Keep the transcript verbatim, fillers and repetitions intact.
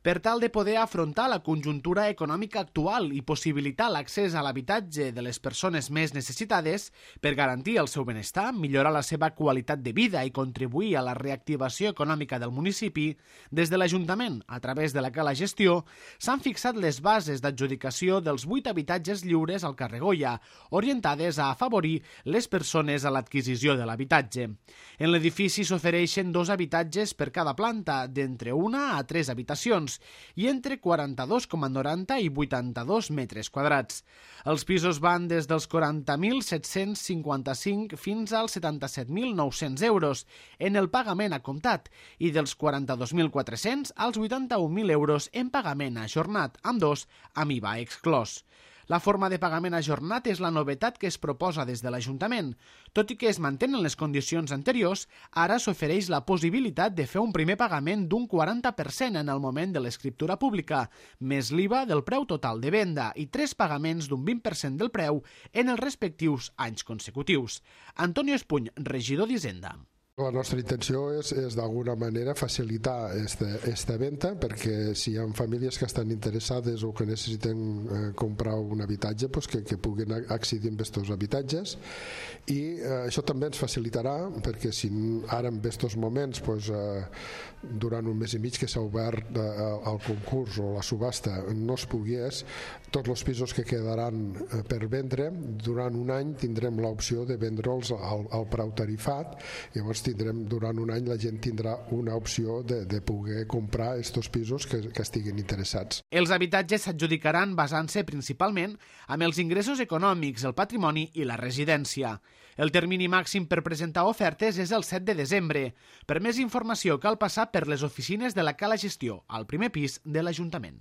Per tal de poder afrontar la conjuntura econòmica actual i possibilitar l'accés a l'habitatge de les persones més necessitades, per garantir el seu benestar, millorar la seva qualitat de vida i contribuir a la reactivació econòmica del municipi, des de l'Ajuntament, a través de la Cala Gestió, s'han fixat les bases d'adjudicació dels vuit habitatges lliures al carrer Goya, orientades a afavorir les persones a l'adquisició de l'habitatge. En l'edifici s'ofereixen dos habitatges per cada planta, d'entre una a tres habitacions, i entre quaranta-dos coma noranta i vuitanta-dos metres quadrats. Els pisos van des dels quaranta mil set-cents cinquanta-cinc fins als setanta-set mil nou-cents euros en el pagament a comptat i dels quaranta-dos mil quatre-cents als vuitanta-un mil euros en pagament ajornat, ambdós amb I V A exclòs. La forma de pagament ajornat és la novetat que es proposa des de l'Ajuntament. Tot i que es mantenen les condicions anteriors, ara s'ofereix la possibilitat de fer un primer pagament d'un quaranta per cent en el moment de l'escriptura pública, més l'I V A del preu total de venda i tres pagaments d'un vint per cent del preu en els respectius anys consecutius. Antonio Espuny, regidor d'Hisenda. La nostra intenció és, és d'alguna manera facilitar aquesta venda, perquè si hi ha famílies que estan interessades o que necessiten eh, comprar un habitatge, pues que, que puguin accedir a aquests habitatges, i eh, això també ens facilitarà, perquè si ara en aquests moments pues, eh, durant un mes i mig que s'ha obert eh, el concurs o la subhasta no es pogués, tots els pisos que quedaran eh, per vendre, durant un any tindrem l'opció de vendre'ls al, al preu tarifat. Llavors tindrem, durant un any la gent tindrà una opció de, de poder comprar aquests pisos que, que estiguin interessats. Els habitatges s'adjudicaran basant-se principalment amb els ingressos econòmics, el patrimoni i la residència. El termini màxim per presentar ofertes és el set de desembre. Per més informació cal passar per les oficines de la Cala Gestió, al primer pis de l'Ajuntament.